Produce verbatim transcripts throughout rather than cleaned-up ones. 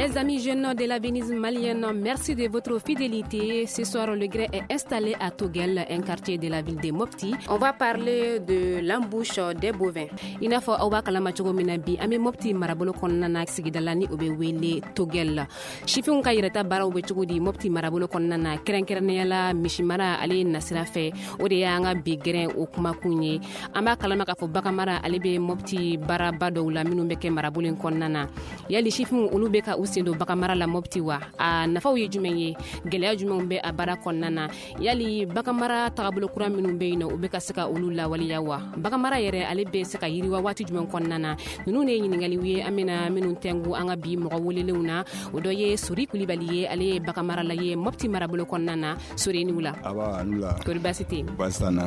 Les amis jeunes de la Venise malienne, merci de votre fidélité. Ce soir, le gré est installé à Toguel, un quartier de la ville de Mopti. On va parler de l'embouche des bovins. I n'a fɔ aw b'a kalama cogo min na, bi an bɛ Mopti marabolo kɔnɔna na, sigida la ni o bɛ wele Toguel. Sifinw ka yɛrɛta baaraw bɛ cogo di Mopti marabolo kɔnɔna na, kɛrɛnkɛrɛnnenya la misimara ale nasira fɛ? O de y'an ka bi gɛrɛn o kumakun ye. An b'a kalama k'a fɔ baganmara ale bɛ Mopti baaraba dɔw la minnu bɛ kɛ marabolo in kɔnɔna na. Yali sifinw, olu bɛ ka u sen don baganmara la Mopti wa? A nafaw ye jumɛn ye? Gɛlɛya jumɛnw bɛ a baara kɔnɔna na? Yali baganmara tagabolo kura minnu bɛ yen nɔ, u bɛ ka se ka olu lawaleya wa? Baganmara yɛrɛ, ale bɛ se ka yiriwa waati jumɛn kɔnɔna na? Ninnu de ye ɲininkaliw ye an bɛna minnu tɛngu an ka bi mɔgɔ welelenw na. O dɔ ye Sori Kulibali ye, ale ye baganmarala ye Mopti marabolo kɔnɔna na. Sori, ni wula. Aba, ni wula. Kori baasi tɛ yen? Baasi t'an na.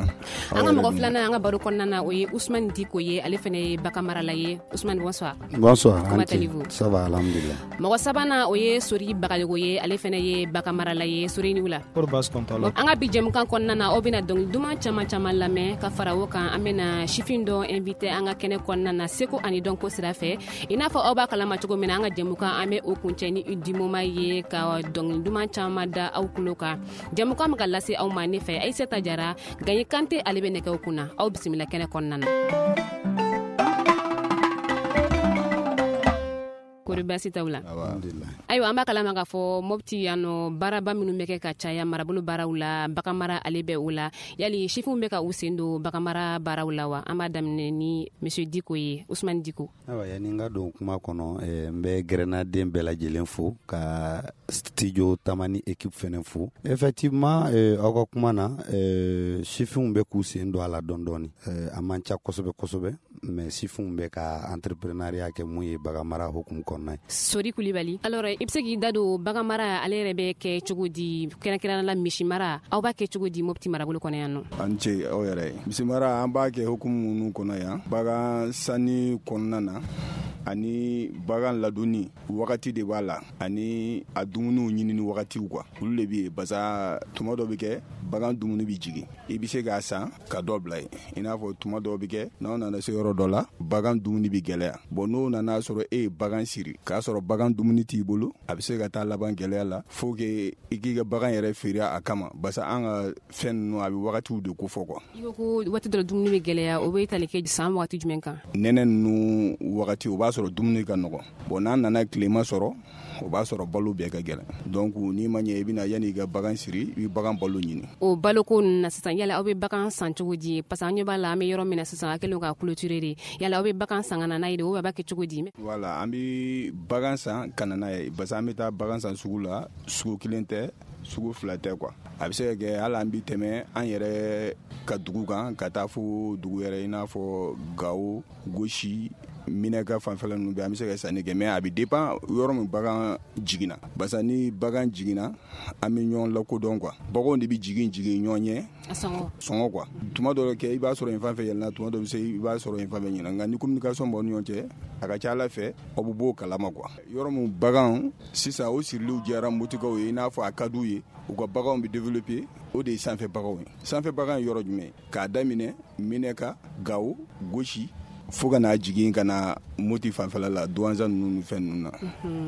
An ka mɔgɔ filanan an ka baro kɔnɔna na, o ye Usumani Diko ye, ale fana ye baganmarala ye. Usumani, bonsoir. Bonsoir. Comment allez-vous? Ça va, alhamdulillah. Mɔgɔ sabanan, o ye Sori Bagayogo ye, ale fana ye baganmarala ye. Sori, ni wula. Kori baasi kɔni t'a la. An ka bi jɛmukan kɔnɔna na, aw bɛna dɔnkili duman caman caman lamɛn. Ka fara o kan, an bɛna sifin dɔ invité an ka kɛnɛ kɔnɔna na, seko ani dɔnko sira fɛ. I n'a fɔ aw b'a kalama cogo min na, an ka jɛmukan, an bɛ o kuncɛ ni dimoma ye, ka dɔnkili duman caman da aw tulo kan. Jɛmukan bɛ ka lase aw ma ne fɛ, Ayisata Jara. Gaɲi Kante, ale bɛ nɛgɛw kunna. Aw bisimila kɛnɛ kɔnɔna na. Kori baasi t'aw la? Alhamdulillah. Ayiwa, an b'a kalama k'a fɔ Mopti yan nɔ, baaraba minnu bɛ kɛ ka caya marabolo baaraw la, baganmara ale bɛ o la. Yali sifinw bɛ ka u sen don baganmara baaraw la wa? An b'a daminɛ ni monsieur Diko ye, Usumani Diko. Ayiwa, yanni n ka don kuma kɔnɔ, eh, n bɛ gɛrɛnnaden bɛɛ lajɛlen fo, ka studio Tamani équipe fɛnɛ fo. Effectivement, eh, aw ka kuma na, eh, sifinw bɛ k'u sen don a la dɔɔni dɔɔni. eh, a man ca kosɛbɛ kosɛbɛ, mais sifinw bɛ ka entrepreneuriat kɛ mun ye baganmara hukumu kɔnɔna ye. Sori Kulibali, alors i bɛ se k'i da don baganmara ale yɛrɛ bɛ kɛ cogo di, kɛrɛnkɛrɛnnenya la misimara, aw b'a kɛ cogo di Mopti marabolo kɔnɔ yan nɔ? An ce aw yɛrɛ ye. Misimara, an b'a kɛ hukumu minnu kɔnɔ yan, bagan sanni kɔnɔna na ani bagan ladonni wagati de b'a la, ani a dumuniw ɲinini wagatiw quoi, olu de bɛ yen. Basa tuma dɔ bɛ kɛ, bagan dumuni bɛ jigin, i bɛ se k'a san ka dɔ bila yen. I n'a fɔ tuma dɔw bɛ kɛ, n'aw nana se yɔrɔ dɔ la, bagan dumuni bɛ gɛlɛya. Bon, n'o nana sɔrɔ e ye bagan siri k'a sɔrɔ bagan dumuni t'i bolo, a bɛ se ka taa laban gɛlɛya la, fo que i k'i ka bagan yɛrɛ feere a kama. Basa an ka fɛn ninnu, a bɛ wagatiw de kofɔ quoi. I ko ko waati dɔ dumuni bɛ gɛlɛya, o bɛ tali kɛ san wagati jumɛn kan? Nɛnɛ ninnu wagati, o b'a sɔrɔ dumuni ka nɔgɔn. Bon, n'a nana tilema sɔrɔ, o b'a sɔrɔ balo bɛɛ ka gɛlɛn. Donc n'i ma ɲɛ, i bɛna yanni i ka bagan siri, i bɛ bagan balo ɲini. O baloko ninnu na sisan, yala aw bɛ bagan san cogo di? Parce que an ɲɛ b'a la, an bɛ yɔrɔ min na sisan, a kɛlen ka clôturer de. Yala aw bɛ bagan san ka na n'a ye de, ou a b'a kɛ cogo di? Voilà, an bɛ bagan san ka na n'a ye. Parce que an bɛ taa bagan san sugu la, sugu kelen tɛ, sugu fila tɛ quoi. A bɛ se ka kɛ hali an bɛ tɛmɛ an yɛrɛ ka dugu kan ka taa fo dugu yɛrɛ, i n'a fɔ Gawo, Gosi, Minɛka fanfɛla ninnu bɛɛ, an bɛ se ka sanni kɛ. Mais a bɛ dépend yɔrɔ min bagan jiginna. Barisa ni bagan jiginna, an bɛ ɲɔgɔn lakodɔn quoi. Baganw de bɛ jigin jigin ɲɔgɔn ɲɛ. A sɔngɔ. Sɔngɔ quoi. Tuma dɔw kɛ, i b'a sɔrɔ yen fan fɛ yɛlɛnna, tuma dɔw bɛ se, i b'a sɔrɔ yen fan fɛ ɲinɛ. Nka ni communication b'aw ni ɲɔgɔn cɛ, a ka ca Ala fɛ, aw bɛ bɔ o kalama quoi. Yɔrɔ min bagan sisan, o siriliw diyara Motikaw ye, i n'a fɔ a ka d'u ye, u ka baganw bɛ développer, o de ye sanfɛ baganw ye. Sanfɛ bagan ye yɔrɔ jumɛn ye? K'a daminɛ Minɛka, Gawo, Gosi, fo ka n'a jigin ka na Moti fanfɛla la, Duwanza ninnu ni fɛn ninnu na,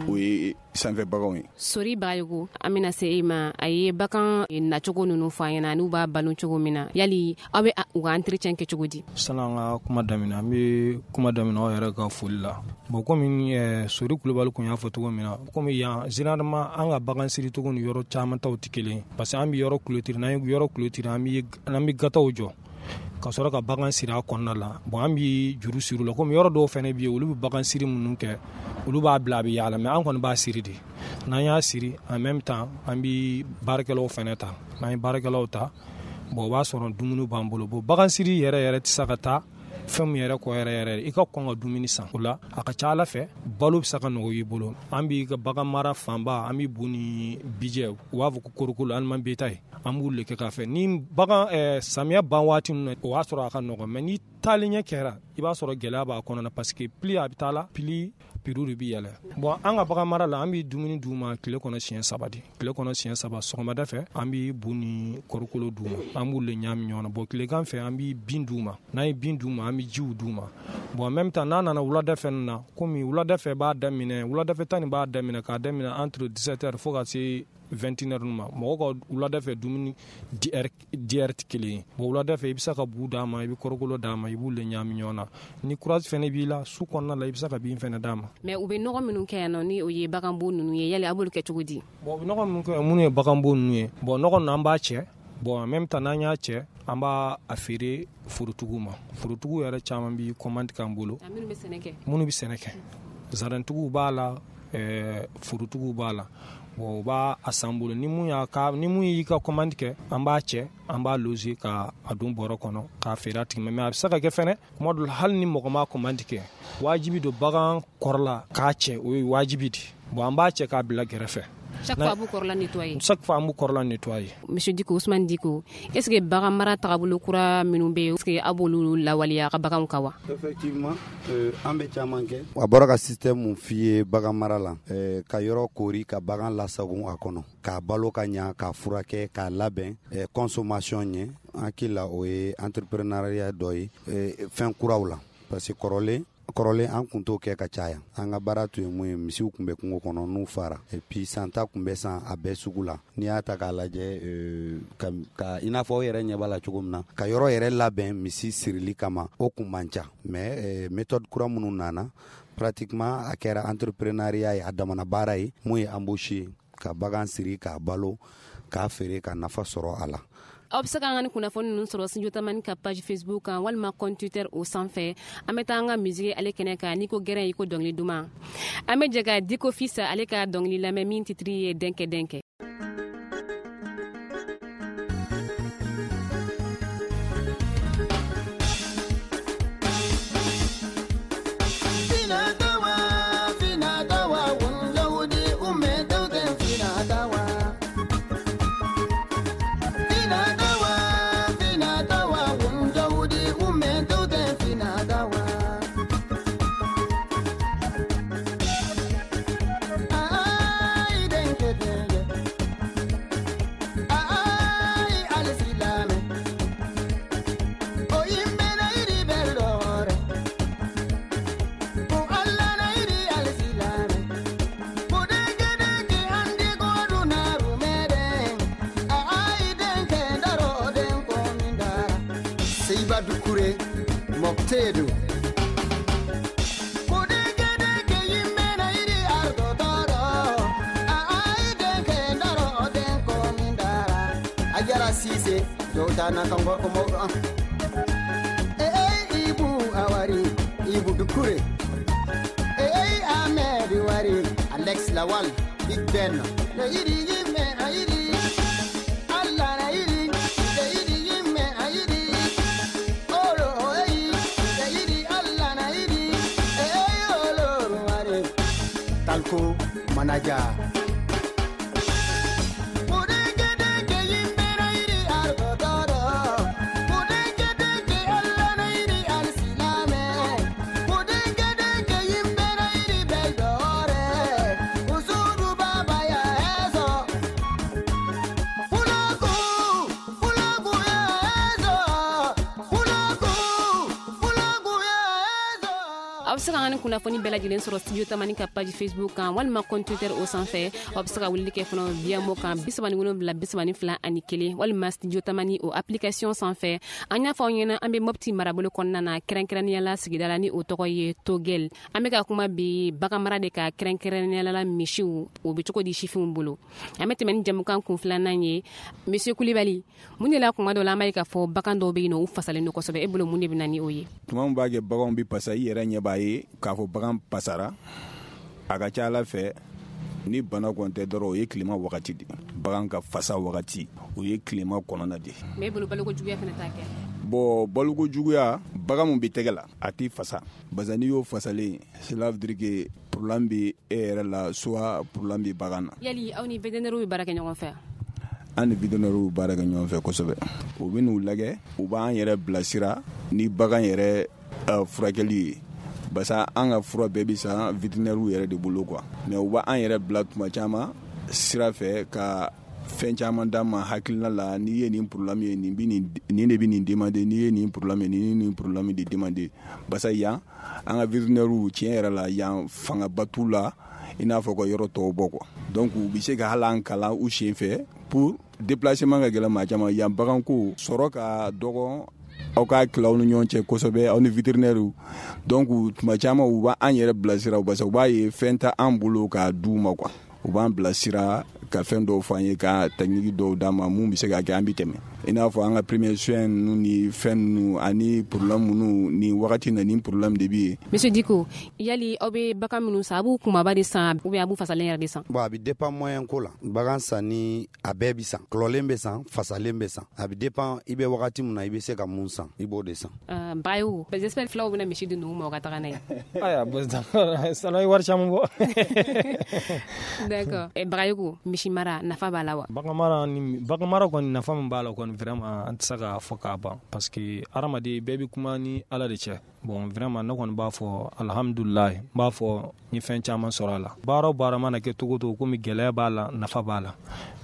o ye sanfɛ baganw ye. Sori Bagayogo, an bɛna se e ma. A ye bagan nacogo ninnu fɔ an ɲɛna, n'u b'a balo cogo min na. Yali aw bɛ u ka entretien kɛ cogo di? Sani an ka kuma daminɛ, an bɛ kuma daminɛ aw yɛrɛ ka foli la. Bon, komi eh, Sori Kulubali kun y'a fɔ cogo min na, komi yan généralement an ka bagan siricogo ni yɔrɔ caman taw tɛ kelen ye. Parce que an bɛ yɔrɔ clôturer, n'an ye yɔrɔ clôturer, an bɛ an bɛ gataw jɔ ka sɔrɔ ka bagan siri a kɔnɔna la. Bon, an bɛ juru siri la, komi yɔrɔ dɔw fana bɛ yen, olu bɛ bagan siri minnu kɛ, olu b'a bila a bɛ yaala, mais an kɔni b'a siri de. N'an y'a siri, en même temps an bɛ baarakɛlaw fana ta. N'an ye baarakɛlaw ta, bon, o b'a sɔrɔ dumuni b'an bolo. Bon, bagan siri yɛrɛ yɛrɛ tɛ se ka taa fɛn min yɛrɛ kɔ yɛrɛ yɛrɛ, i ka kɔn ka dumuni san o la, a ka ca Ala fɛ, balo bɛ se ka nɔgɔ i bolo. An b'i ka bagan mara fanba, an bɛ bu ni bijɛ, u b'a fɔ ko korokolo, aliment bétail, An b'u le kɛ k'a fɛ ni bagan eh, samiya ban waati ninnu o y'a sɔrɔ a ka nɔgɔn, mais ni taalen ɲɛ kɛra i b'a sɔrɔ gɛlɛya b'a kɔnɔ na, parce que plus a bɛ taa la plus prix de bɛ yɛlɛ. Bon, an ka bagan mara la, an bɛ dumuni d'u ma tile kɔnɔ siɲɛ saba de, tile kɔnɔ siɲɛ saba. Sɔgɔmada fɛ an bɛ bu ni kɔrikolo d'u ma, an b'u le ɲagami ɲɔgɔn na. Bon, tilegan fɛ an bɛ bin d'u ma, n'an ye bin d'u ma an bɛ jiw d'u ma. Bon, en même temps n'a nana wulada fɛ na, komi wulada fɛ b'a daminɛ, wuladafɛ ta nin b'a daminɛ k'a daminɛ entre dix-sept heures fo ka se vingt et une heures ma. Mɔgɔw ka wulada fɛ dumuni di heure tɛ kelen ye. Bon, wulada fɛ i bɛ se ka bu d'a ma, i bɛ kɔrɔkolo d'a ma, i b'u le ɲagami ɲɔgɔn na. Ni courage fɛnɛ b'i la su kɔnɔna la, i bɛ se ka bin fɛnɛ d'a ma. Mais u bɛ nɔgɔ minnu kɛ yan nɔ, ni o ye baganbo ninnu ye, yali a b'olu kɛ cogo di? Bon, u bɛ nɔgɔ minnu kɛ, minnu ye baganbo ninnu ye, bon, nɔgɔ ninnu an b'a cɛ. Bon, en même temps n'an y'a cɛ, an b'a a feere forotigiw ma. Forotigiw yɛrɛ caman bi commande k'an bolo. Minnu bɛ sɛnɛ kɛ, minnu bɛ sɛnɛ kɛ, zarantigiw b'a la, ɛɛ forotigiw b'a la. Bon, u b'a a san bolo, ni mun y'a ka ni mun y'i ka commande kɛ, an b'a cɛ, an b'a loger ka a don bɔrɔ kɔnɔ k'a feere a tigi ma. Mais a bɛ se ka kɛ fɛnɛ kuma dɔ la, hali ni mɔgɔ ma commande kɛ, wajibi don bagan kɔrɔla k'a cɛ, o ye wajibi de. Bon, an b'a cɛ k'a bila gɛrɛfɛ. Chaque fois a b'u kɔrɔla nettoyer. Chaque fois an b'u kɔrɔla nettoyer. Monsieur Diko, Ousmane Diko, est-ce que bagan mara tagabolo kura minnu bɛ yen, est-ce que a b'olu lawaleya a ka baganw kan wa? Effectivement, euh, an bɛ caman kɛ. A bɔra ka système mun f'i ye bagan mara la, euh, ka yɔrɔ kori ka bagan lasagon a kɔnɔ, k'a balo ka ɲa, k'a furakɛ, k'a labɛn euh, consommation ɲɛ. An hakili la o ye entrepreneuriat dɔ ye euh, fɛn kuraw la, parce que kɔrɔlen kɔrɔlen an kun t'o kɛ ka caya. An ka baara tun ye mun ye, misiw kun bɛ kungo kɔnɔ n'u fara, et puis santa kun bɛ san a bɛɛ sugu la. N'i y'a ta k'a lajɛ, euh, ka, ka i n'a fɔ aw yɛrɛ ɲɛ b'a la cogo min na, ka yɔrɔ yɛrɛ labɛn misi sirili kama, o kun man ca. Mais euh, méthode kura minnu nana, pratiquement a kɛra entrepreneuriat ye, a damana baara ye mun ye embauche ye, ka bagan siri, k'a balo, k'a feere, ka nafa sɔrɔ a la. Aw bɛ se k'an ka ni kunnafoni ninnu sɔrɔ Studio Tamani ka page Facebook kan walima compte Twitter o sanfɛ. An bɛ taa an ka musique ale kɛnɛ kan. N'i ko gɛrɛn, i ko dɔnkili duman. An bɛ jɛ ka Diko Fils ale ka dɔnkili lamɛn min titre ye Denkɛ Denkɛ. Moktedu Ajara Sise jowtana kan gorko mawɗo an e ey Ibu a wari, Ibu Dukure e ey Ahmed wari, Alex Lawal Big Ben ne yiɗi yimɓe a yiɗi Allah na yiɗi ɓe yiɗi yimɓe a yiɗi olo o eyi ɓe yiɗi Allah na yiɗi e ey oloru wari Talko manaja. Aw bɛ se k'an ka kunnafoni bɛɛ lajɛlen sɔrɔ Studio Tamani ka page Facebook kan walima compte Twitter o sanfɛ. Aw bɛ se ka weleli kɛ fana via mo kan bi saba ni wolonwula bi saba ni fila ani kelen walima Studio Tamani o application sanfɛ. An y'a fɔ aw ɲɛna an bɛ Mopti marabolo kɔnɔna na, kɛrɛnkɛrɛnnenya la sigida la ni o tɔgɔ ye Togel. An bɛ ka kuma bi bagan mara de ka, kɛrɛnkɛrɛnnenya la misiw, o bɛ cogo di sifinw bolo. An bɛ tɛmɛ ni jamukan kun filanan ye. Monsieur Kulibali, mun de la kuma dɔ la an b'a ye k'a fɔ bagan dɔw bɛ yen nɔ u fasalen don kosɛbɛ, e bolo mun de bɛ na ni o ye? Tuma min b'a kɛ baganw bɛ pasa, i yɛrɛ ɲɛ b'a ye k'a fɔ bagan pasara, a ka ca ala fɛ ni bana kɔni tɛ dɔrɔn, o ye tilema wagati de, bagan ka fasa wagati o ye tilema kɔnɔna de. Mais e bolo baloko juguya fana t'a kɛ? Bon, baloko juguya, bagan mun bɛ tɛgɛ la a t'i fasa, parce n'i y'o fasalen, cela veut dire que problème bɛ e yɛrɛ la, soit problème bɛ bagan na. Yali aw ni vétérinaire bɛ baara kɛ ɲɔgɔn fɛ? An ni vétérinaires baara kɛ ɲɔgɔn fɛ kosɛbɛ. U bɛ n'u lajɛ, u b'an yɛrɛ bilasira ni bagan yɛrɛ uh, furakɛli ye. Barisa an ka fura bɛɛ bɛ san vétérinaires yɛrɛ de bolo quoi. Mais u b'an yɛrɛ bila tuma caman sira fɛ ka fɛn caman d'an ma hakilina la. N'i ye nin problème ye, nin bɛ nin nin de bɛ nin demander. N'i ye nin problème ye, nin nin problème de demander. Barisa yan, an ka vétérinaires, tiɲɛ yɛrɛ la, yan fangaba t'u la i n'a fɔ ka yɔrɔ tɔw bɔ quoi. Donc u bɛ se ka hali an kalan u sen fɛ pour déplacement ka gɛlɛn maa caman yan. Baganko sɔrɔ ka dɔgɔ, aw ka tila aw ni ɲɔgɔn cɛ kosɛbɛ, aw ni vétérinaires. Donc tuma caman u b'an yɛrɛ bilasira, barisa u b'a ye fɛn tɛ an bolo k'a d'u ma quoi. U b'an bilasira ka fɛn dɔw fɔ an ye, ka technique dɔw d'an ma mun bɛ se ka kɛ an bɛ tɛmɛ, i n'a fɔ an ka premier soin ninnu ni fɛn ninnu ani problème minnu nin wagati na, nin problème de bɛ yen. Monsieur Diko, yali aw bɛ bagan minnu san, a b'u kumaba de san ou bien a b'u fasalen yɛrɛ de san? Bon, a bɛ dépend moyen ko la. Bagan sanni, a bɛɛ bi san, kɔlɔlen bɛ san, fasalen bɛ san. A bɛ dépend i bɛ wagati min na, i bɛ se ka mun san, i b'o de san. Uh, Bayo, j'espère filaw bɛna misi di numu ma, o ka taga n'a ye. Aya, bon, d'accord, ye wari caman bɔ. D'accord. Eh, Bagayogo, misi mara nafa b'a la wa? Bagan mara ni bagan mara kɔni, nafa min b'a la kɔni, vraiment an tɛ se k'a fɔ k'a ban, parce que hadamaden bɛɛ bɛ kuma ni Ala de cɛ. Bon, vraiment ne kɔni b'a fɔ alhamdulilayi, n b'a fɔ n ye fɛn caman sɔrɔ a la. Baara o baara mana kɛ cogo o cogo, komi gɛlɛya b'a la, nafa b'a la,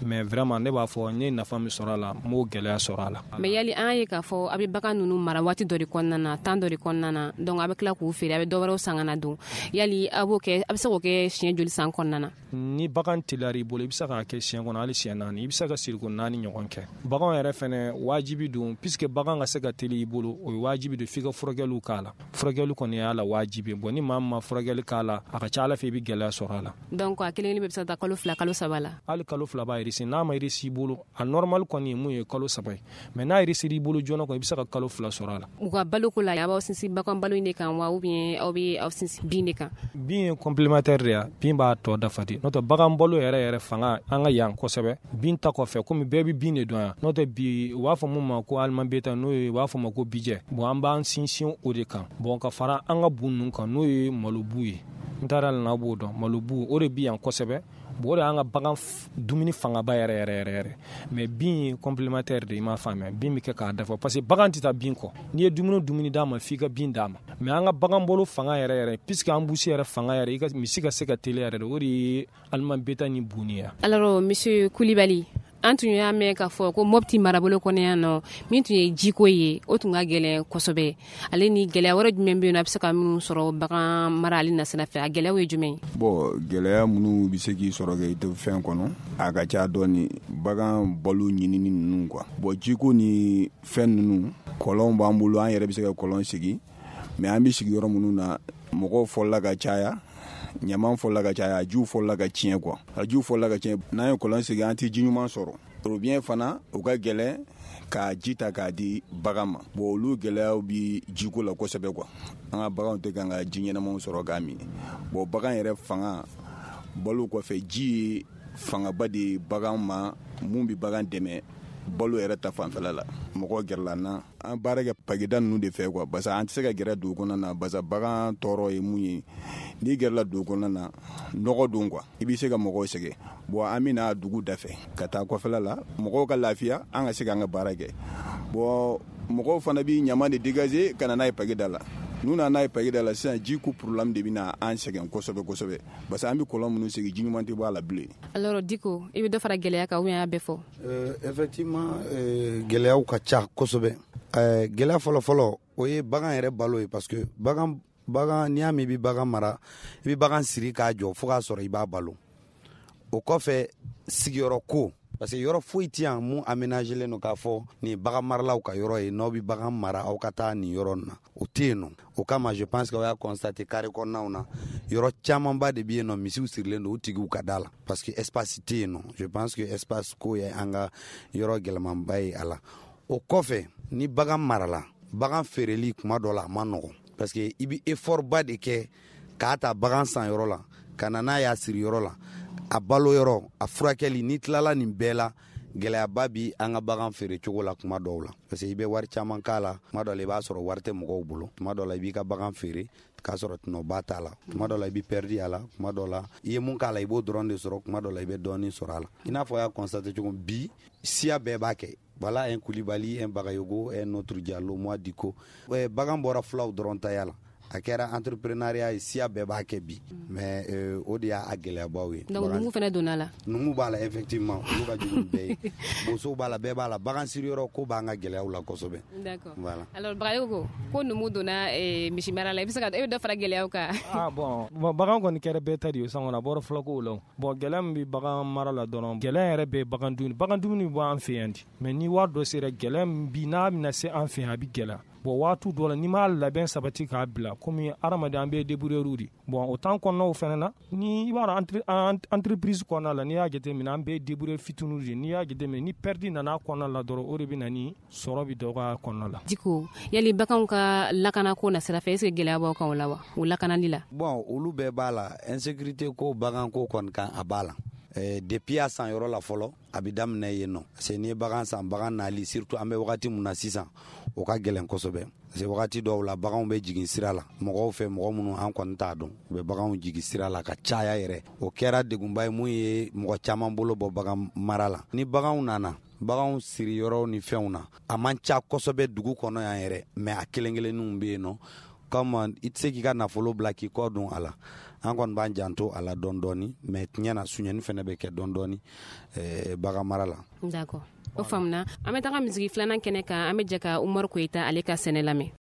mais vraiment ne b'a fɔ n ye nafa min sɔrɔ a la, n m'o gɛlɛya sɔrɔ a la. Mais yali an ye k'a fɔ a bɛ bagan ninnu mara waati dɔ de kɔnɔna na, temps dɔ de kɔnɔna na, donc a bɛ tila k'u feere, a bɛ dɔ wɛrɛw san ka na don. Yali a b'o kɛ, a bɛ se k'o kɛ siɲɛ joli san kɔnɔna na? Ni bagan teliyara i bolo, i bɛ se k'a kɛ siɲɛ kɔnɔ hali siɲɛ naani, i bɛ se ka siriko naani ɲɔgɔn kɛ. Bagan yɛrɛ fɛnɛ wajibi don, puisque bagan ka se ka teli i bolo, o ye wajibi don f'i ka furakɛliw k'a la. Furakɛli kɔni y'a la wajibi. Bon, ni maa min ma furakɛli k'a la, a ka ca Ala fɛ i bɛ gɛlɛya sɔrɔ a la. Donc a kelen kelen bɛ se ka taa kalo fila, kalo saba la? Hali kalo fila b'a réussi. N'a ma réussi i bolo, a normal kɔni ye mun ye, kalo saba ye, mais n'a réussi i bolo joona kɔni, i bɛ se ka kalo fila sɔrɔ a la. U ka baloko la, a b'aw sinsin bagan balo in de kan wa, ou bien aw bɛ aw sinsin bin de kan? Bin ye complémentaire de ye, bin b'a tɔ dafa de. N'o tɛ, bagan balo yɛrɛ yɛrɛ fanga an ka yan kosɛbɛ, bin ta kɔfɛ, komi bɛɛ bɛ bin de dɔn yan. N'o tɛ, bi u b'a fɔ mun ma ko aliment bétail, n'o ye u b'a fɔ ma ko bijɛ. Bon, an b'an sinsin o de kan. Bon, ka fara an ka bu ninnu kan, n'o ye malobu ye, n taara la, n'aw b'o dɔn, malobu o de bi yan kosɛbɛ. Bon, o de y'an ka bagan dumuni fangaba yɛrɛ yɛrɛ yɛrɛ yɛrɛ. Mais bin ye complémentaire de, i m'a faamuya, bin bɛ kɛ k'a dafa, parce que bagan tɛ taa bin kɔ. N'i ye dumuni dumuni d'a ma, f'i ka bin d'a ma. Mais an ka bagan balo fanga yɛrɛ yɛrɛ, puisque an busi yɛrɛ fanga yɛrɛ, i ka misi ka se ka teliya yɛrɛ de, o de ye aliment bétail ni bunni ye. Alors monsieur Coulibaly, an tun y'a mɛn k'a fɔ ko Mopti marabolo kɔnɔ yan nɔ, min tun ye jiko ye, o tun ka gɛlɛn kosɛbɛ. Ale ni gɛlɛya wɛrɛ jumɛn bɛ yen nɔ, a bɛ se ka minnu sɔrɔ bagan mara ale nasira fɛ, a gɛlɛyaw ye jumɛn ye? Bon, gɛlɛya minnu bɛ se k'i sɔrɔ kɛ i tɛ fɛn kɔnɔ, a ka ca dɔɔni. Bagan balo ɲinini ninnu quoi. Bon, jiko ni fɛn ninnu, kɔlɔnw b'an bolo, an yɛrɛ bɛ se ka kɔlɔn sigi, mais an bɛ sigi yɔrɔ minnu na, mɔgɔw fɔlɔla ka caya, ɲaman fɔlɔla ka caya, a jiw fɔlɔla ka tiɲɛ quoi. A jiw fɔlɔla ka tiɲɛ, n'an ye kɔlɔn sigi, an tɛ ji ɲuman sɔrɔ. Robinet fana, o ka gɛlɛn k'a ji ta k'a di bagan ma. Bon, olu gɛlɛyaw bi jiko la kosɛbɛ quoi. An ka baganw tɛ kan ka ji ɲɛnamaw sɔrɔ k'a min. Bon, bagan yɛrɛ fanga, balo kɔfɛ, ji ye fangaba de bagan ma mun bɛ bagan dɛmɛ balo yɛrɛ ta fanfɛla la. Mɔgɔw gɛrɛla n na, an baara kɛ pageda ninnu de fɛ quoi, parce que an tɛ se ka gɛrɛ dugu kɔnɔna na, parce que bagan tɔɔrɔ ye mun ye, n'i gɛrɛla dugu kɔnɔna na, nɔgɔ don quoi, i bɛ se ka mɔgɔw sɛgɛn. Bon, an bɛ na dugu dafɛ ka taa kɔfɛla la, mɔgɔw ka lafiya, an ka se k'an ka baara kɛ. Bon, mɔgɔw fana bɛ ɲaman de dégager ka na n'a ye pageda la. N'u nana n'a ye pageda la sisan, ji ko problème de bɛ na an sɛgɛn kosɛbɛ kosɛbɛ, parce que an bɛ kɔlɔn minnu sigi, ji ɲuman tɛ bɔ a la bilen. Alors Diko, i bɛ dɔ fara gɛlɛya kan ou bien a y'a bɛɛ fɔ? Euh, effectivement euh, gɛlɛyaw ka ca kosɛbɛ. euh, gɛlɛya fɔlɔ fɔlɔ, o ye bagan yɛrɛ balo ye, parce que bagan bagan n'i y'a mɛn i bɛ bagan mara, i bɛ bagan siri k'a jɔ fo k'a sɔrɔ i b'a balo. O kɔfɛ, sigiyɔrɔ ko, parce que yɔrɔ foyi tɛ yan mun aménagelen don k'a fɔ nin bagan maralaw ka yɔrɔ ye, n'aw bɛ bagan mara, aw ka taa nin yɔrɔ nin na, o tɛ yen nɔ. O kama, je pense que aw y'a constaté, carré kɔnɔnaw na, yɔrɔ camanba de bɛ yen nɔ, misiw sirilen don u tigiw ka da la, parce que espace tɛ yen nɔ. Je pense que espace ko ye an ka yɔrɔ gɛlɛmanba ye a la. O kɔfɛ, ni bagan marala, bagan feereli kuma dɔ la a ma nɔgɔn, parce que i bɛ effort ba de kɛ k'a ta bagan san yɔrɔ la ka na n'a y'a siri yɔrɔ la, a balo yɔrɔ, a furakɛli. N'i tilala nin bɛɛ la, gɛlɛyaba bi an ka bagan feere cogo la kuma dɔw la, parce que i bɛ wari caman k'a la. Kuma dɔw la, i b'a sɔrɔ wari tɛ mɔgɔw bolo. Kuma dɔw la, i b'i ka bagan feere. K'a sɔrɔ tɔnɔba t'a la. Tuma dɔ la i bɛ perdi a la, tuma dɔ la i ye mun k'a la i b'o dɔrɔn de sɔrɔ, tuma dɔ la i bɛ dɔɔnin sɔrɔ a la. I n'a fɔ a y'a constaté cogo bi, siya bɛɛ b'a kɛ. Voilà un Koulibaly, un Bagayogo, un autre Diallo, moi Diko. Bagan bɔra fulaw dɔrɔn taya la. A kɛra entrepreneuriat ye, siya bɛɛ b'a kɛ bi. Mais euh, o de y'a gɛlɛyabaw ye. Donc numu fana donna la. Numu b'a la effectivement, olu ka jugu bɛɛ ye. Bosow b'a la, bɛɛ b'a la. Bagan siriyɔrɔ ko b'an ka gɛlɛyaw la kosɛbɛ. D'accord. Voilà. Alors Bagayogo, ko numu donna eh, misimara la, i bɛ se ka e bɛ dɔ fara gɛlɛyaw kan? Ah bon, bon bagan kɔni kɛra bɛɛ ta de ye sisan kɔni, a bɔra fulakow la. Bon gɛlɛya min bɛ bagan mara la dɔrɔn, gɛlɛya yɛrɛ bɛ bagan dumuni. Bagan dumuni bɛ bɔ an fɛ yan de. Mais ni wari dɔ sera, gɛlɛya min bi n'a bɛna se an fɛ yan, a bɛ gɛlɛya. Bon waati dɔ la n'i m'a labɛn sabati k'a bila, komi hadamaden an bɛɛ débrouilleur de. Bon o temps kɔnɔnaw fana na, ni i b'a dɔn entreprise kɔnɔna la, n'i y'a jateminɛ an bɛɛ débrouilleur fitininw de. N'i y'a jateminɛ ni perte nana kɔnɔna la dɔrɔn, o de bɛ na ni sɔrɔ bɛ dɔgɔya kɔnɔna la. Diko, yali baganw ka lakanako na sira fɛ, est-ce que gɛlɛya b'aw kan o la wa, o lakanali la? Bon olu bɛɛ b'a la, insécurité ko baganko kɔni kan a b'a la. Eh, depuis a san yɔrɔ la fɔlɔ a bɛ daminɛ yen nɔ, parce que n'i ye bagan san, bagan nali surtout an bɛ wagati mun na sisan, o ka gɛlɛn kosɛbɛ, parce que wagati dɔw la baganw bɛ jigin sira la mɔgɔw fɛ, mɔgɔ minnu an kɔni t'a dɔn, u bɛ baganw jigin sira la ka caya yɛrɛ. O kɛra degunba ye mun ye mɔgɔ caman bolo bɔ bagan mara la. Ni baganw nana, baganw siri yɔrɔw ni fɛnw na, a man ca kosɛbɛ dugu kɔnɔ yan yɛrɛ, mais a kelen kelenninw bɛ yen nɔ. Comme i tɛ se k'i ka nafolo bila k'i kɔ don a la, an kɔni b'an janto a la dɔɔni dɔɔni, mais tiɲɛ na suɲɛni fɛnɛ bɛ kɛ dɔɔni dɔɔni eh, bagan mara la. D'accord, o faamuna. An bɛ taga misigi filanan kɛnɛ kan, an bɛ jɛ ka Umaru Koyita ale ka sɛnɛ lamɛn.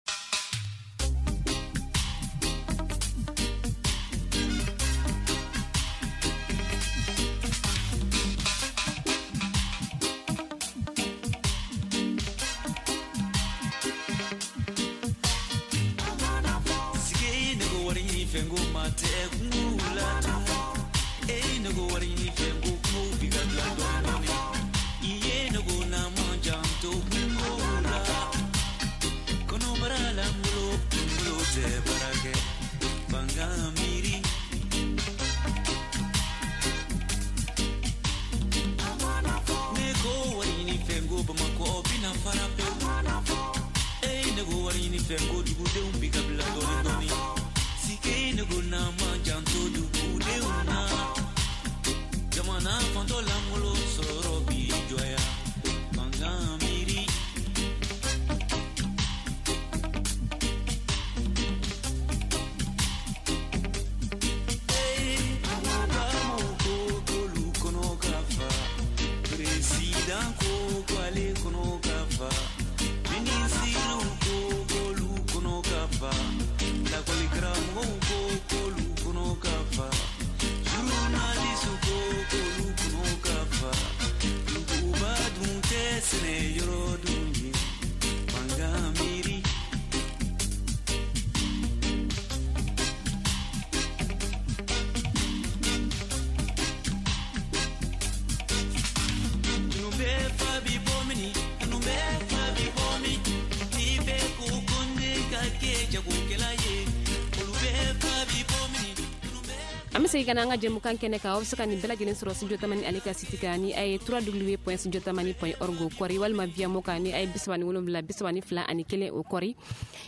An bɛ segin ka na an ka jɛmukan kɛnɛ kan. Aw bɛ se ka nin bɛɛ lajɛlen sɔrɔ Studio Tamani ale ka site kan ni a ye w w w point studio tamani point org kɔri, walima via mo kan ni a ye bi saba ni wolonwula bi saba ni fila ani kelen o kɔri.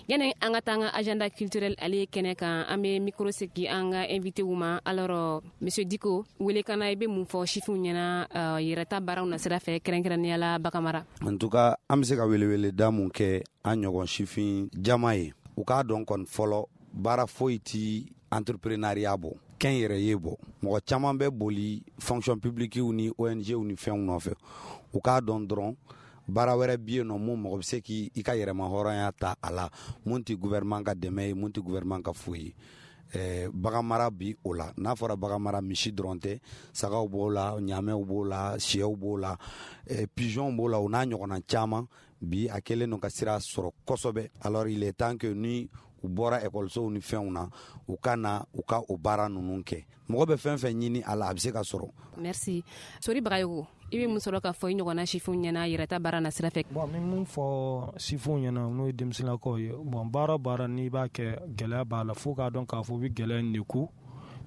Yani an ka taa an ka agenda culturel ale kɛnɛ kan, an bɛ micro segi an ka invité ma. Alors monsieur Diko, wele kana i bɛ mun fɔ sifinw ɲɛna yɛrɛta baaraw na sira fɛ, kɛrɛnkɛrɛnnenya la bagan mara? En tout cas an bɛ se ka weleweleda mun kɛ an ɲɔgɔn sifin jama ye, u k'a dɔn kɔni fɔlɔ baara foyi ti entrepreneuriat bɔ, kɛn yɛrɛ ye bɔ. Mɔgɔ caman bɛ boli fonction publique ni O N G ni fɛnw nɔfɛ, u k'a dɔn dɔrɔn baara wɛrɛ bɛ yen nɔ mun mɔgɔ bɛ se k'i ka yɛrɛma hɔrɔnya ta a la, mun tɛ gouvernement ka dɛmɛ ye, mun tɛ gouvernement ka foyi ye. Eh, bagan mara bi o la, n'a fɔra bagan mara misi dɔrɔn tɛ, sagaw b'o la, ɲamɛw b'o la, siyɛw b'o la, eh, pigeons b'o la, o n'a ɲɔgɔnna caman. Bi a kɛlen don ka sira sɔrɔ kosɛbɛ. Alors il est temps que ni u bɔra ekɔlisow ni fɛnw na, u ka na u ka o baara ninnu kɛ. Mɔgɔ bɛ fɛn fɛn ɲini a la, a bɛ se ka sɔrɔ. Merci. Sori Bagayogo, i bɛ mun sɔrɔ k'a fɔ i ɲɔgɔnna sifinw ɲɛna yɛrɛta baara na sira fɛ? Bon, n bɛ mun fɔ sifinw ɲɛna n'o ye denmisɛnninlakaw ye, bon baara baara n'i b'a kɛ gɛlɛya b'a la, fo k'a dɔn k'a fɔ i bɛ gɛlɛya in de ku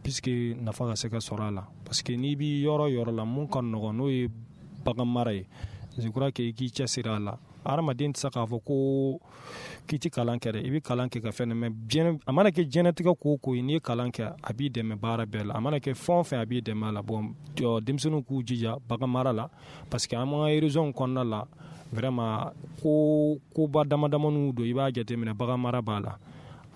puisque nafa ka se ka sɔrɔ a la. Parce que n'i b'i yɔrɔ yɔrɔ la mun ka nɔgɔn n'o ye bagan mara ye, je crois que i k'i cɛsiri a la. Hadamaden tɛ se k'a fɔ ko k'i ti kalan kɛ dɛ, i bɛ kalan kɛ ka fɛn, mais diɲɛ a mana kɛ diɲɛlatigɛ ko o ko ye, n'i ye kalan kɛ, a b'i dɛmɛ baara bɛɛ la. A mana kɛ fɛn o fɛn, a b'i dɛmɛ a la. Bon, denmisɛnninw k'u jija bagan mara la, parce que an ka région kɔnɔna la, vraiment, ko koba dama damaniw don. I b'a jateminɛ, bagan mara b'a la,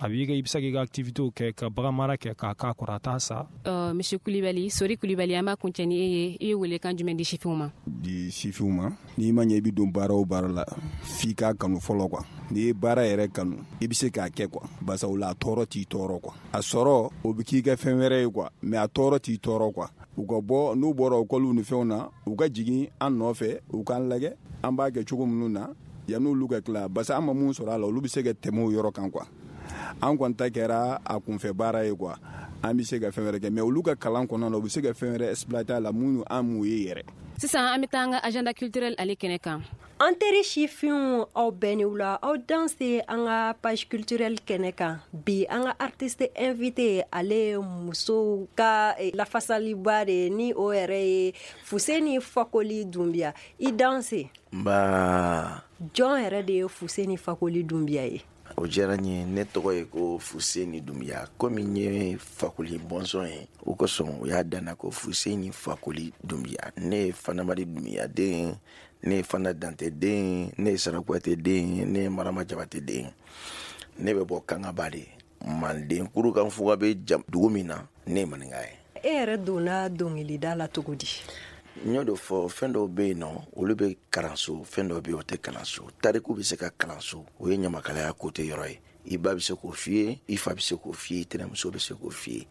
a b'i i bɛ se k'i ka activité kɛ ka bagan mara kɛ k'a k'a kɔrɔ, a t'a sa. uh, monsieur Kulibali, Sori Kulibali, an b'a kuncɛ ni e ye. I ye welekan jumɛn di sifinw ma? Di sifinw ma, n'i ma ɲɛ i bɛ don baara o baara la, f'i k'a kanu fɔlɔ quoi. N'i ye baara yɛrɛ kanu, i bɛ se k'a kɛ quoi, barisa o la a tɔɔrɔ t'i tɔɔrɔ quoi. A sɔrɔ, o bɛ k'i kɛ fɛn wɛrɛ ye quoi, mais a tɔɔrɔ t'i tɔɔrɔ quoi. U ka bɔ, n'u bɔra ekɔliw ni fɛnw na, u ka jigin an nɔfɛ, u k'an lajɛ an b'a kɛ cogo minnu na yan'olu ka tila, barisa an ma mun sɔrɔ a la, olu bɛ se ka tɛmɛ o yɔrɔ kan quoi. An kɔni ta kɛra a kunfɛ baara ye quoi. An bɛ se ka fɛn wɛrɛ kɛ, mais olu ka kalan kɔnɔna na, u bɛ se ka fɛn wɛrɛ exploiter a la minnu an m'u ye yɛrɛ. Sisan an bɛ taa an ka agenda culturel ale kɛnɛ kan. An teri sifinw, aw bɛɛ ni wula, aw danse an ka page culturelle kɛnɛ kan. Bi, an ka artiste invité, ale ye musow ka lafasaliba de, ni o yɛrɛ ye Fuseni Fakoli Dunbiya. I danse. Nba. Jɔn yɛrɛ de ye Fuseni Fakoli Dunbiya ye? O diyara n ye. Ne tɔgɔ ye ko Fuseni Dunbiya. Komi n ye Fakoli bɔnsɔn ye, o kosɔn o y'a danna ko Fuseni Fakoli Dunbiya. Ne ye Fanamadi Dunbiya den, ne ye Fana Dante den, ne ye Sarakuyate den, ne ye Marama Jabate den. Ne bɛ bɔ Kangaba de, Manden kurukan fuga bɛ dugu min na, ne ye maninka ye. E yɛrɛ donna dɔnkilida la cogo di? N y'o de fɔ, fɛn dɔw bɛ yen nɔ, olu bɛ kalanso, fɛn dɔw bɛ yen, o tɛ kalanso. Tariku bɛ se ka kalanso, o ye ɲamakalaya kote yɔrɔ ye. I ba bɛ se k'o f'i ye, i fa bɛ se k'o f'i ye, tɛnɛmuso bɛ se k'o f'i ye.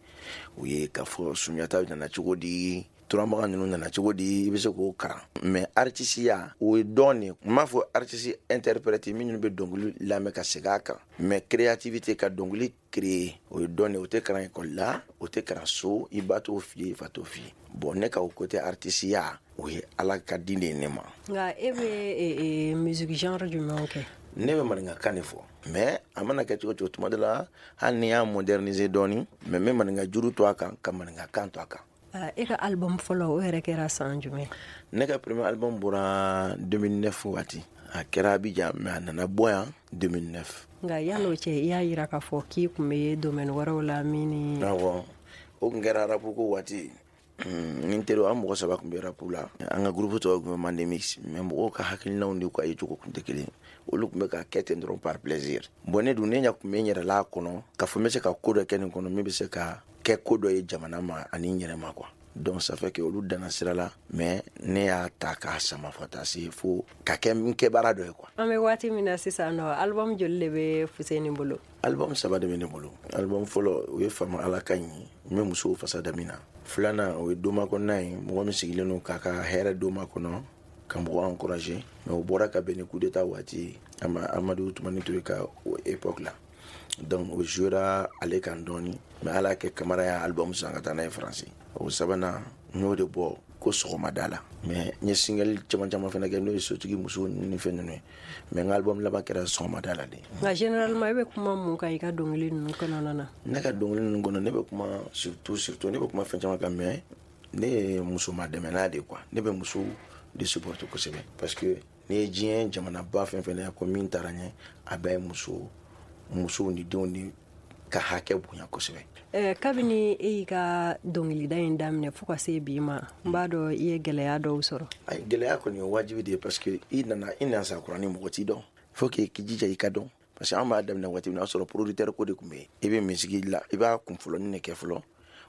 O ye k'a fɔ Sunjata nana cogo di, Turamaga ninnu nana cogo di, i bɛ se k'o kalan. Mais artisiya, o ye dɔn de. N m'a fɔ artiste interprète minnu bɛ dɔnkili lamɛn ka segin a kan, mais créativité, ka dɔnkili créer, o ye dɔn de. O tɛ kalan ekɔli la, o tɛ kalan so, i ba t'o f'i ye, i fa t'o f'i ye. Bon, ne ka o côté artisiya, o ye Ala ka di de ye ne ma. Nka e bɛ musique genre jumɛnw kɛ? Ne bɛ maninkakan de fɔ, mais a mana kɛ cogo cogo, tuma dɔ la, hali ni y'a moderniser dɔɔni, mais n bɛ maninka juru to a kan, ka maninkakan to a kan. E ka album fɔlɔ, o yɛrɛ kɛra san jumɛn? Ne ka premier album bɔra deux mille neuf waati. A kɛra Abidjan, mais a nana bɔ yan deux mille neuf. Nka yan'o cɛ, i y'a yira k'a fɔ k'i tun bɛ domaine wɛrɛw la min ni? Awɔ, o tun kɛra rap ko waati. Ni n teriw, an mɔgɔ saba tun bɛ rap la. An ka groupe tɔgɔ tun bɛ Mande Mix, mais mɔgɔw ka hakilinaw ni ka yecogo tun tɛ kelen. Olu tun bɛ ka kɛ ten dɔrɔn par plaisir. Bon, ne dun, ne ɲɛ tun bɛ n yɛrɛ la a kɔnɔ, k'a fɔ n bɛ se ka ko dɔ kɛ nin kɔnɔ min bɛ se ka kɛ ko dɔ ye jamana ma ani n yɛrɛ ma quoi. Donc ça fait que olu danna sira la, mais ne y'a ta k'a sama fo taa se fo ka kɛ n kɛ baara dɔ ye quoi. An bɛ waati min na sisan nɔ, album joli de bɛ Fuseni bolo? Album saba de bɛ ne bolo. Album fɔlɔ, o ye Fama Ala ka ɲi, n bɛ musow fasa da min na. Filanan, o ye Doma kɔnɔna ye, mɔgɔ min sigilen don k'a ka hɛrɛ doma kɔnɔ, ka mɔgɔ encourager, mais o bɔra ka bɛn ni coup d'état waati, Amadu Tumani Ture ka o époque la. Donc o jouera ale kan dɔɔni, mais ala kɛ Kamara y'a album san ka taa n'a ye Faransi. O sabanan, n y'o de bɔ ko Sɔgɔmada la, mais n ye single caman caman fana kɛ, n'o ye Sotigi muso ni fɛn ninnu ye, mais n ka album laban kɛra Sɔgɔmada la de. Nka généralement, e bɛ kuma mun kan i ka dɔnkili ninnu kɔnɔna na? Ne ka dɔnkili ninnu kɔnɔ, ne bɛ kuma surtout surtout ne bɛ kuma fɛn caman kan, mais ne ye musoma dɛmɛna de quoi. Ne bɛ musow de supporter kosɛbɛ, parce que n'i ye diɲɛ jamanaba fɛn fɛn na ko min taara ɲɛ, a bɛɛ ye muso, musow ni denw ni ka hakɛ bonya kosɛbɛ. Eh, kabini e y'i ka dɔnkilida in daminɛ fo ka se bi ma, n b'a dɔn i ye gɛlɛya dɔw sɔrɔ. Ayi, gɛlɛya kɔni ye wajibi de ye, parce que i nana i nana kura ni mɔgɔ t'i dɔn, faut que k'i jija i ka dɔn, parce que an b'a daminɛ waati min na, o y'a sɔrɔ producteur ko de tun bɛ yen. I bɛ musique la, i b'a kun fɔlɔnin de kɛ fɔlɔ,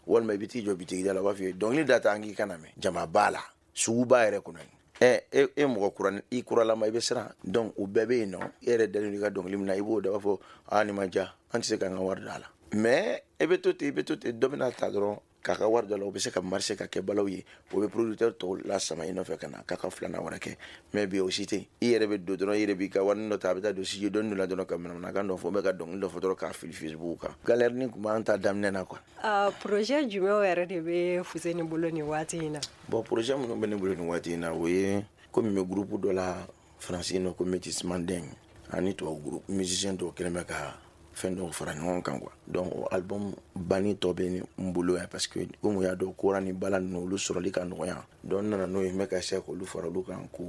walima i bɛ t'i jɔ bitigi da la, u b'a f'i ye dɔnkili da ta, an k'i kana mɛn jama b'a la, suguba yɛrɛ kɔnɔ yen. Ɛ e e mɔgɔ kura, i kuralama, i bɛ siran. Donc o bɛɛ bɛ yen nɔ. E yɛrɛ dalen don i ka dɔnkili min na, i b'o da, b'a fɔ aa, nin ma diya, an tɛ se k'an ka wari d'a la. Mais e bɛ to ten, i bɛ to ten, dɔ bɛna ta dɔrɔn k'a ka wari dɔ la, o bɛ se ka marcher ka kɛ balaw ye, o bɛ producteur tɔw lasama i nɔfɛ ka na k'a ka filanan wɛrɛ kɛ. Mais bi, o si tɛ yen. I yɛrɛ bɛ don dɔrɔn, i yɛrɛ b'i ka wari dɔ ta, a bɛ taa don studio dɔɔni dɔ la dɔrɔn, ka manamanakan dɔ fɔ, bɛ ka dɔnkili dɔ fɔ dɔrɔn, k'a fili Facebook kan. Galère ni tun b'an ta daminɛ na quoi. Uh, projet jumɛnw yɛrɛ de bɛ Fuseni bolo nin waati in na? Bon, projet minnu bɛ ne bolo nin waati in na, o ye komi n bɛ groupe dɔ la Faransi nɔ ko Métis Mandeng, ani tubabu groupe musicien dɔw kɛlen bɛ ka fɛn dɔw fara ɲɔgɔn kan quoi. Donc o album banni tɔ bɛ n bolo yan parce que komi u y'a dɔn kora ni bala ninnu olu sɔrɔli ka nɔgɔya, donc n nana n'o ye, n bɛ ka essayer k'olu fara olu kan k'o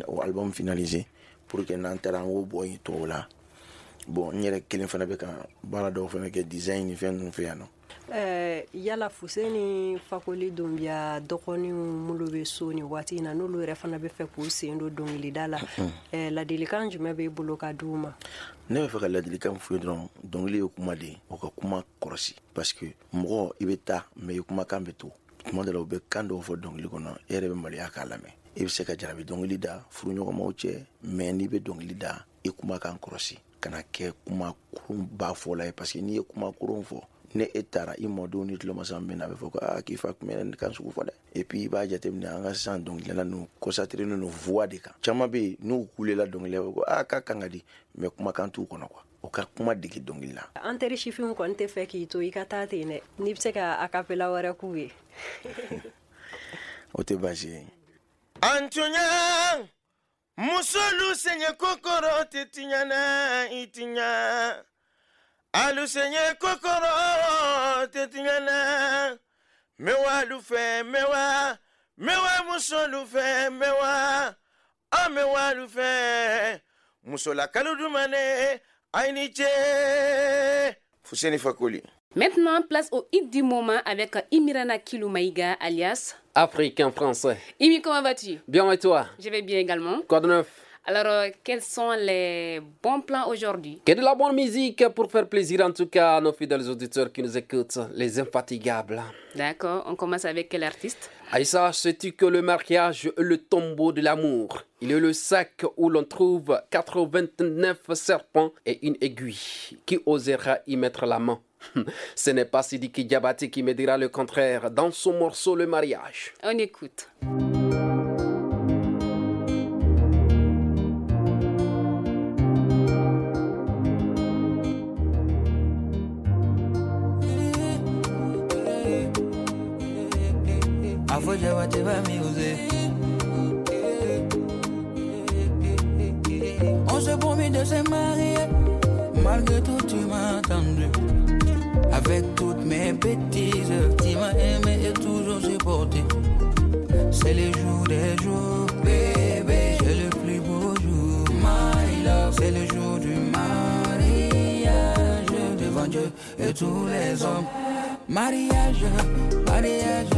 o album finaliser pour que n'an taara an k'o bɔ yen tɔw la. Bon, n yɛrɛ kelen fana bɛ ka baara dɔw fana kɛ design ni fɛn ninnu fɛ yan nɔ. Ɛɛ yala Fuseni Fakoli Dunbiya dɔgɔninw minnu bɛ so nin waati in na, n'olu yɛrɛ fana bɛ fɛ k'u sen don dɔnkilida la, ɛɛ ladilikan jumɛn b'e bolo ka d'u ma? Ne bɛ fɛ ka ladilikan f'u ye dɔrɔn, dɔnkili ye kuma de ye, o ka kuma kɔlɔsi parce que mɔgɔ i bɛ taa mais i kumakan bɛ to. Tuma dɔ la u bɛ kan dɔw fɔ dɔnkili kɔnɔ, e yɛrɛ bɛ maloya k'a lamɛn. I bɛ se ka jarabi dɔnkili da furuɲɔgɔnmaw cɛ, mais n'i bɛ dɔnkili da i kumakan kɔlɔsi, kana kɛ kuma kurun ba fɔla ye parce que n'i ye kuma kurun fɔ, ne e taara i mɔdenw ni tulomasa min na, a bɛ fɔ ko aa k'i fa tun bɛ nin kan sugu fɔ dɛ. Et puis i b'a jateminɛ an ka sisan dɔnkilidala ninnu concentré don voix de kan. Caman bɛ yen n'u kulela dɔnkili la, ko aa k'a kan ka di, mais kumakan t'u kɔnɔ quoi. O ka kuma dege dɔnkili la. An teri sifinw kɔni tɛ fɛ k'i to i ka taa ten dɛ, n'i bɛ se ka acapella wɛrɛ k'u ye. O tɛ baasi ye. An tɔɲa musolu sɛɲɛ kokoro tɛ tiɲɛ na i tiɲɛ. Alu sɛɲɛ kokoro tɛ tiɲɛ na. Mɛwa lu fɛ mɛwa, mɛwa musolu fɛ mɛwa, an mɛwa lu fɛ. Musolakalu dumane ayi ni ce. Fuseni Fakoli. Maintenant, place au hit du moment avec Imirana Kiloumaïga, alias Africain français. Imi, comment vas-tu? Bien et toi? Je vais bien également. Quoi de neuf? Alors, euh, quels sont les bons plans aujourd'hui? Que de la bonne musique pour faire plaisir en tout cas à nos fidèles auditeurs qui nous écoutent, les infatigables. D'accord, on commence avec quel artiste? Aïssa, sais-tu que le mariage est le tombeau de l'amour? Il est le sac où l'on trouve quatre-vingt-neuf serpents et une aiguille. Qui osera y mettre la main? Ce n'est pas Sidiki Diabaté qui me dira le contraire dans son morceau Le Mariage. On écoute. On s'est promis de se marier, malgré tout tu m'as attendu. Avec toutes mes bêtises, tu m'as aimé et toujours supporté. C'est les jours des jours, bébé, c'est le plus beau jour, my love. C'est le jour du mariage, devant Dieu et tous les hommes. Mariage, mariage,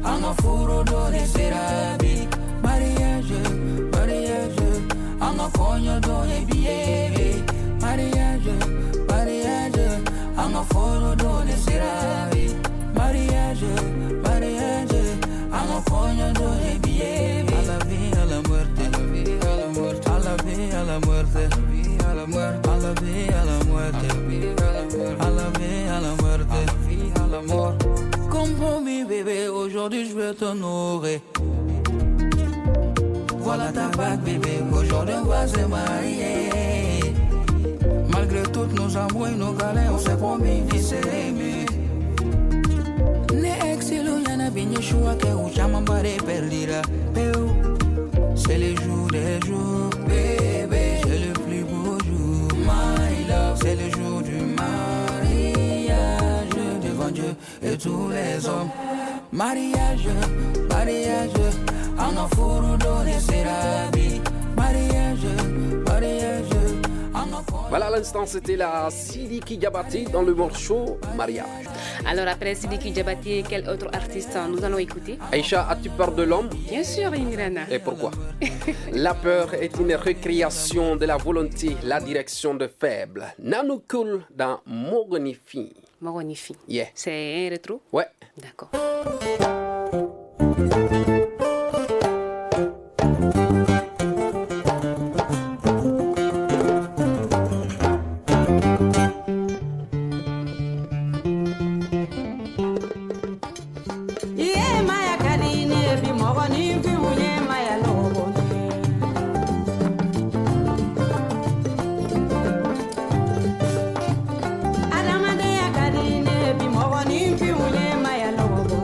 en furo donne serabi. Mariage, mariage, en cogno donne billet. Mariage, mariage, en furo donne serabi. Mariage, mariage, en cogno donne billet. A la vie, à la muerte, à la muerte, à la vie, à la muerte, à la muerte, à la vie, à la muerte, à la vie, à la muerte, à la mort. Comme promis bébé, aujourd'hui je vais t'honorer. Voilà ta bague bébé, aujourd'hui on va se marier. Malgré toutes nos amours et nos galères, on s'est promis de s'aimer. Ne exilo yana binye shua ke uchama mbare perdira. C'est le jour des jours, bébé, c'est le plus beau jour, my love. C'est le jour du mariage, devant Dieu et tous les hommes. Mariage, mariage, en furu donne serabi. Mariage, mariage. Voilà, à l'instant, c'était la Sidiki Diabaté dans le morceau Mariage. Alors après Sidiki Diabaté, quel autre artiste nous allons écouter? Aïcha, as-tu peur de l'homme? Bien sûr, Imirana. Et pourquoi? La peur est une récréation de la volonté, la direction de faible. Nanou Cool dans Mogonifi. Mogonifi. Yeah. C'est un rétro? Ouais. D'accord. Mɔgɔninfinw ye maya lɔgɔ bɔ.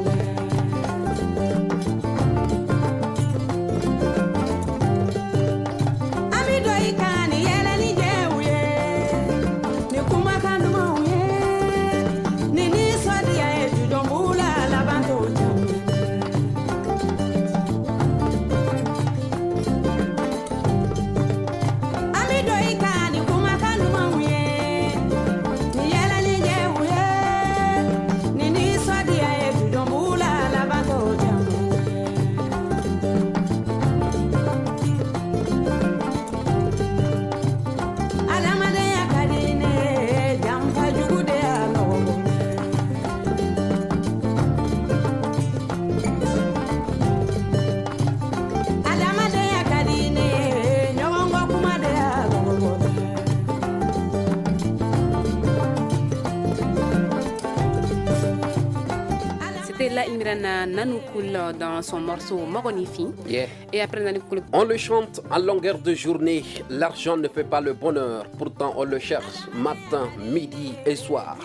Abdallah Imrana Nanoukoul dans son morceau Mogonifi. Yeah. Et après Nanoukoul. On le chante à longueur de journée. L'argent ne fait pas le bonheur. Pourtant, on le cherche matin, midi et soir.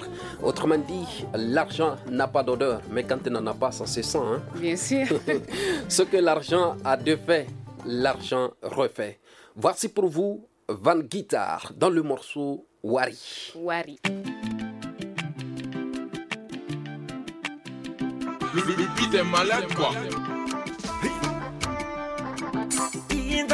Autrement dit, l'argent n'a pas d'odeur. Mais quand il n'en a pas, ça se sent. Hein? Bien sûr. Ce que l'argent a défait, l'argent refait. Voici pour vous Van Guitar dans le morceau Wari. Wari. Le, le beat est malade quoi. I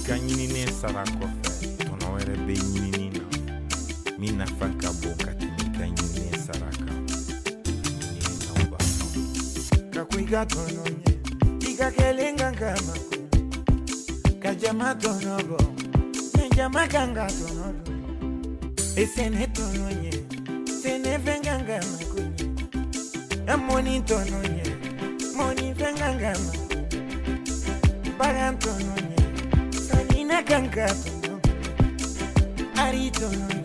ka ɲininen sara kɔfɛ tɔnɔ wɛrɛ bɛ ɲinini na min nafa ka bon ka tɛmɛ i ka ɲininen sara kan. Ɲininaw b'a faamu. Ka ko i ka tɔnɔ ɲɛ i ka kɛlen kan ka mako ka jama tɔnɔ bɔ mɛ jama kan ka tɔnɔ dun e sɛnɛ tɔnɔ ɲɛ sɛnɛ fɛn kan ka mako ɲɛ ɛ mɔni tɔnɔ ɲɛ mɔni fɛn kan ka mako bagan tɔnɔ ɲɛ sanina kan ka tɔnɔ ari tɔnɔ ɲɛ.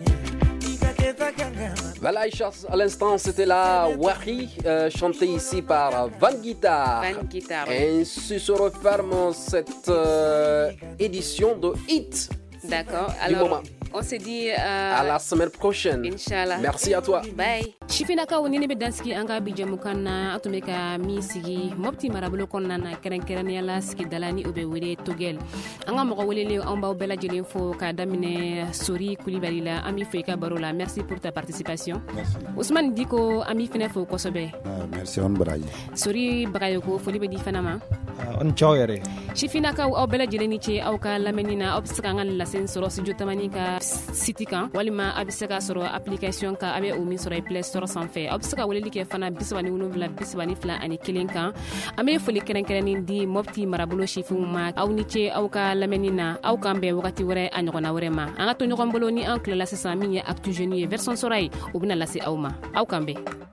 Voilà, Aïcha, à l'instant, c'était la Wari, euh, chantée ici par Van Guitar. Van Guitar. Ainsi se referme cette euh, édition de Hit. D'accord. Du Alors, moment. On se dit euh, à la semaine prochaine. Inch'Allah. Merci à toi. Bye. Sifinnakaw ni ne bɛ dansigi an ka bi jɛmukan na, an tun bɛ ka min sigi Mopti marabolo kɔnɔna na, kɛrɛnkɛrɛnnenya la sigidala ni o bɛ wele Togɛl. An ka mɔgɔ welelen, an b'aw bɛɛ lajɛlen fo k'a daminɛ Sori Kulibali la. An b'i fo i ka baro la. Merci pour ta participation. Merci. Ousmane Diko, an b'i fɛnɛ fo kosɛbɛ. Ah, merci, on baraji. Sori Bagayoko, foli bɛ di fana ma. Ah, on ciao yɛrɛ. Sifinnakaw, aw bɛɛ lajɛlen ni ce aw ka lamɛnni na. Aw bɛ se k'an ka lase sɔrɔ Studio Tamani ka site kan, walima a bɛ se k'a sɔrɔ application kan, a bɛ o min sɔrɔ i Play Store sanfɛ. Aw bɛ se ka weleli kɛ fana bi saba ni wolonwula bi saba ni fila ani kelen kan. An bɛ foli kɛrɛnkɛrɛnnen di Mopti marabolo sifinw ma. Aw ni ce aw ka lamɛnni na. Aw k'an bɛn wagati wɛrɛ a ɲɔgɔnna wɛrɛ ma. An ka to ɲɔgɔn bolo ni an tilala sisan min ye Actu Jeunes ye, version sɔrɔ ye, o bɛna lase aw ma. Aw k'an bɛn.